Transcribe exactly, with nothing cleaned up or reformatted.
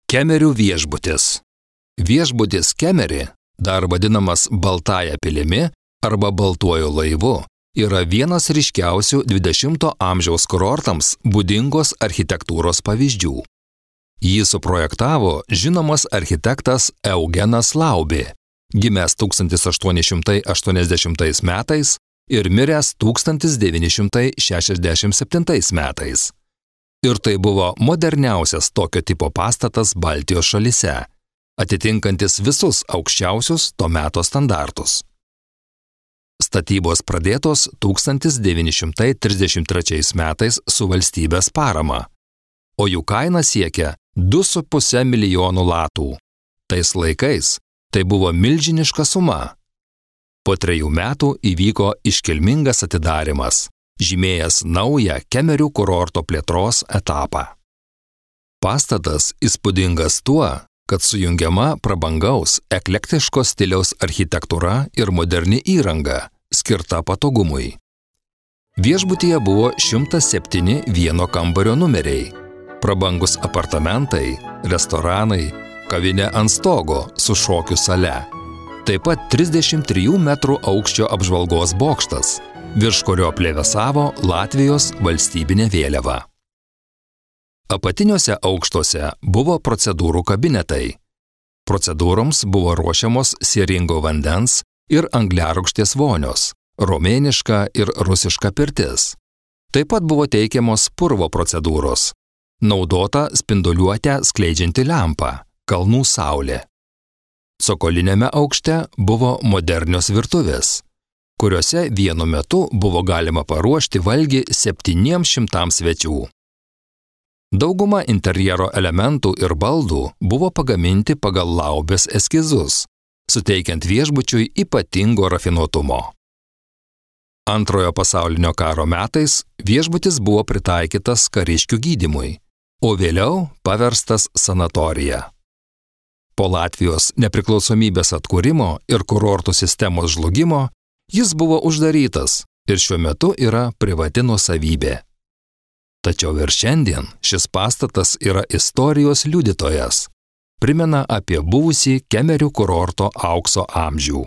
Kemerių viešbutis. Viešbutis Kemeri, dar vadinamas Baltąja pilimi arba Baltuoju laivu, yra vienas ryškiausių dvidešimto amžiaus kurortams būdingos architektūros pavyzdžių. Jį suprojektavo žinomas architektas Eugenas Laubė, gimęs tūkstantis aštuoni šimtai aštuoniasdešimtais metais ir miręs tūkstantis devyni šimtai šešiasdešimt septintais metais. Ir tai buvo moderniausias tokio tipo pastatas Baltijos šalyse, atitinkantis visus aukščiausius to meto standartus. Statybos pradėtos tūkstantis devyni šimtai trisdešimt trečiais metais su valstybės parama, o jų kaina siekia du su puse milijonų latų. Tais laikais tai buvo milžiniška suma. Po trejų metų įvyko iškilmingas atidarymas, žymėjęs naują Kemerių kurorto plėtros etapą. Pastatas įspūdingas tuo, kad sujungiama prabangaus, eklektiško stiliaus architektūra ir moderni įranga, skirta patogumui. Viešbutyje buvo šimtas septyni vieno kambario numeriai, prabangus apartamentai, restoranai, kavinė ant stogo su šokių sale. Taip pat trisdešimt trijų metrų aukščio apžvalgos bokštas, virš kurio plevėsavo Latvijos valstybinė vėliava. Apatiniuose aukštuose buvo procedūrų kabinetai. Procedūroms buvo ruošiamos sieringo vandens ir angliarūgštės vonios, romėniška ir rusiška pirtis. Taip pat buvo teikiamos purvo procedūros, naudota spinduliuotę skleidžianti lempa, kalnų saulė. Cokoliniame aukšte buvo modernios virtuvės, kuriuose vienu metu buvo galima paruošti valgį septyniems šimtams svečių. Dauguma interjero elementų ir baldų buvo pagaminti pagal Laubės eskizus, suteikiant viešbučiui ypatingo rafinuotumo. Antrojo pasaulinio karo metais viešbutis buvo pritaikytas kariškių gydymui, o vėliau paverstas sanatorija. Po Latvijos nepriklausomybės atkūrimo ir kurortų sistemos žlugimo jis buvo uždarytas ir šiuo metu yra privati nuosavybė. Tačiau ir šiandien šis pastatas yra istorijos liudytojas, primena apie buvusį Kemerių kurorto aukso amžių.